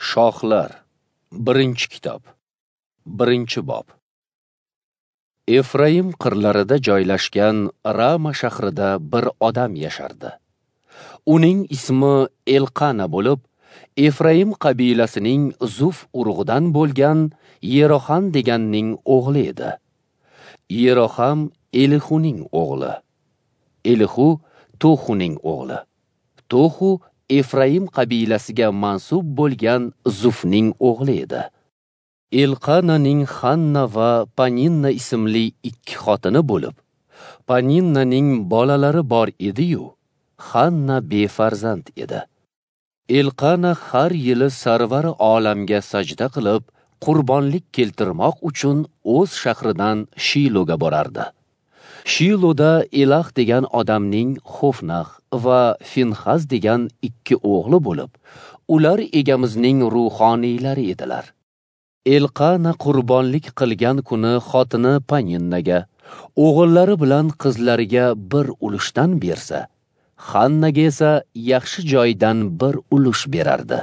Shohlar, 1-kitob, 1-bob. Efraim qirlarida joylashgan Rama shahrida bir odam yashardi. Uning ismi Elqana bo'lib, Efraim qabilasining Zuf urug'idan bo'lgan Yeroham deganning o'g'li edi. Yeroham Elihuning o'g'li. Elihu Tohuning o'g'li. Tohu Efraim qabilasiga mansub bo'lgan Zufning o'g'li edi. Elqananing Hanna va Paninna ismli ikki xotini bo'lib, Paninnaning bolalari bor edi-yu, Hanna befarzand edi. Elqana har yili sarvari olamga sajda qilib, qurbonlik keltirmoq uchun o'z shahridan Shiloga borardi. Shiloda Elah degan odamning Xofnax va Finxaz degan ikki o'g'li bo'lib, ular egamizning ruhoniylari edilar. Elqana qurbonlik qilgan kuni xotini Paninnaga, o'g'illari bilan qizlariga bir ulushdan bersa, Hannaga esa yaxshi joydan bir ulush berardi.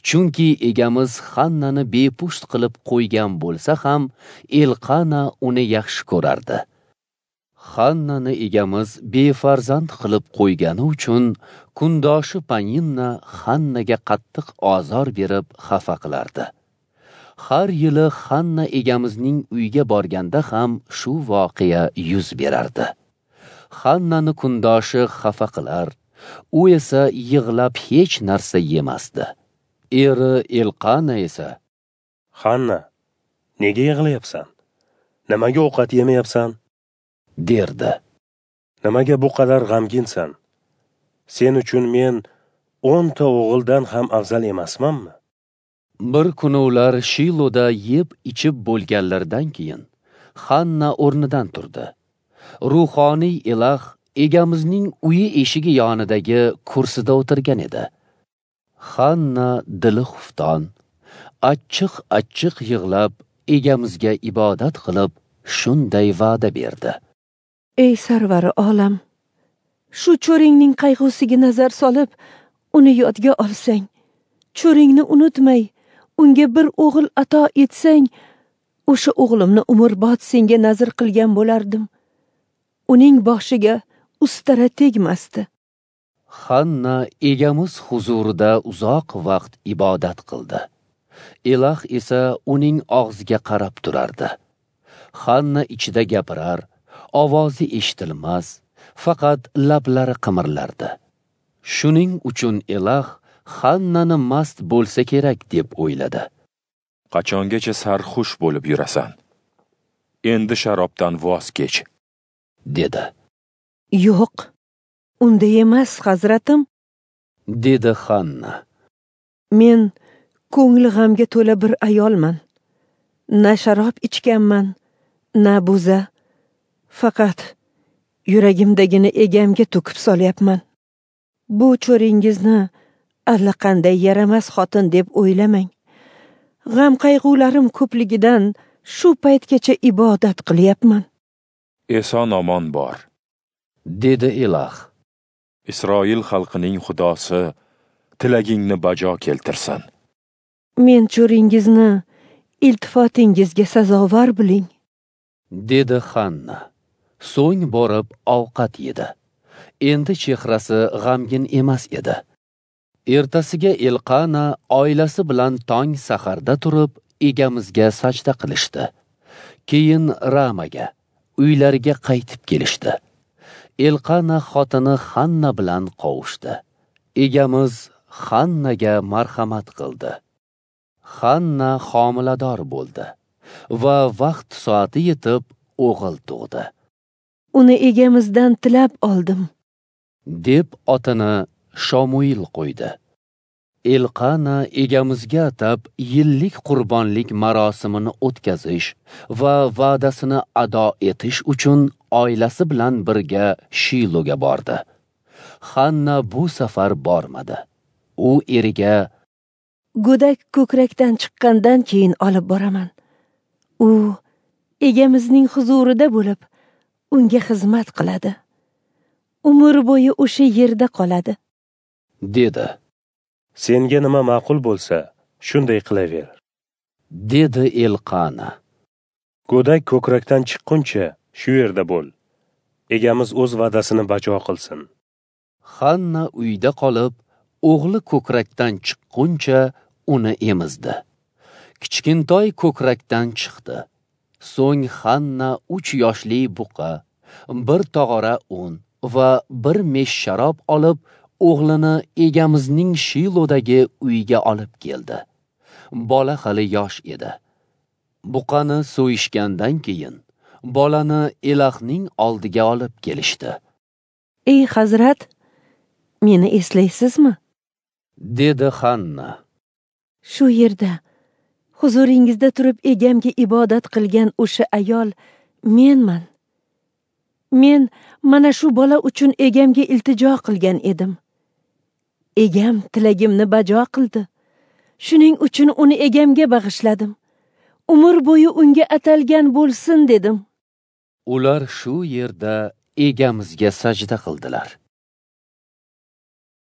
Chunki egamiz Hannani bepusht qilib qo'ygan bo'lsa ham, Elqana uni yaxshi ko'rardi. Hannani egamiz befarzand qilib qo'ygani uchun kundoshi Paninna Hannaga qattiq ozor berib xafa qilardi. Har yili Hanna egamizning uyiga borganda ham shu voqea yuz berardi. Hannani kundoshi xafa qilar, u esa yig'lab hech narsa yemasdi. Eri Elqana esa, "Hanna, nega yig'layapsan? Nimaga ovqat yemayapsan?" derdi. "Nimaga bu qadar g'amginsan? Sen uchun men 10 ta o'g'ildan ham afzal emasmanmi?" Bir kuni ular Shiloda yeb ichib bo'lganlaridan keyin Hanna o'rnidan turdi. Ruhoniy Elah egamizning uyi eshigi yonidagi kursida o'tirgan edi. Hanna dili xufton, achchiq-achchiq yig'lab egamizga ibodat qilib shunday va'da berdi. Ey sarvari olam, shu cho'ringning qayg'usiga nazar solib, uni yodga olsang, cho'ringni unutmay, unga bir o'g'il ato etsang, o'sha o'g'limni umrbod senga nazr qilgan bo'lardim. Uning boshiga ustara tegmasdi. Hanna egamiz huzurida uzoq vaqt ibodat qildi. Elah esa uning og'ziga qarab turardi. Hanna ichida gapirar, ovozi eshitilmas, faqat lablari qimirlardi. Shuning uchun Elah Hannani mast bo'lsa kerak deb o'yladi. Qachongacha sarxush bo'lib yurasan? Endi sharobdan voz kech, dedi. Yo'q, unday emas, hazratim, dedi Hanna. Men ko'ngli g'amga to'la bir ayolman. Na sharob ichganman, na bo'za. Faqat yuragimdagini egamga to'kib solyapman. Bu cho'ringizni allaqanday yaramas xotin deb o'ylamang. G'am qayg'ularim ko'pligidan shu paytgacha ibodat qilyapman. Eson omon bor, dedi Elah. Isroil xalqining Xudosi tilagingni bajo keltirsin. Men cho'ringizni iltifotingizga sazovor biling, dedi Hanna. So'ng borib ovqat yedi. Endi chehrasi g'amgin emas edi. Ertasiga Elqana oilasi bilan tong saharda turib egamizga sajda qilishdi. Keyin Ramaga, uylariga qaytib kelishdi. Elqana xotini Hanna bilan qovushdi. Egamiz Hannaga marhamat qildi. Hanna homilador bo'ldi va vaqt soati yetib o'g'il tug'di. Uni egamizdan tilab oldim, deb otini Shomuil qo'ydi. Elqana egamizga atab yillik qurbonlik marosimini o'tkazish va va'dasini ado etish uchun oilasi bilan birga Shiloga bordi. Hanna bu safar bormadi. U eriga, "Go'dak ko'krakdan chiqqandan keyin olib boraman. U egamizning huzurida bo'lib, unga xizmat qiladi. Umr bo'yi o'sha yerda qoladi," dedi. Senga nima ma'qul bo'lsa, Shunday qilaver, dedi Elqana. Go'dak ko'krakdan chiqquncha shu yerda bo'l. Egamiz o'z va'dasini bajo qilsin. Hanna uyda qolib, o'g'li ko'krakdan chiqquncha uni emizdi. Kichkintoy ko'krakdan chiqdi. So'ng Hanna 3 yoshli buqa, bir tog'ora un va bir mesh sharob olib, o'g'lini egamizning Shilodagi uyiga olib keldi. Bola hali yosh edi. Buqani so'yishgandan keyin bolani Elahning oldiga olib kelishdi. Ey hazrat, meni eslaysizmi? Dedi Hanna. Shu yerda huzuringizda turib egamga ibodat qilgan o'sha ayol menman. Men mana shu bola uchun egamga iltijo qilgan edim. Egam tilagimni bajo qildi. Shuning uchun uni egamga bag'ishladim. Umr bo'yi unga atalgan bo'lsin dedim. Ular shu yerda egamizga sajda qildilar.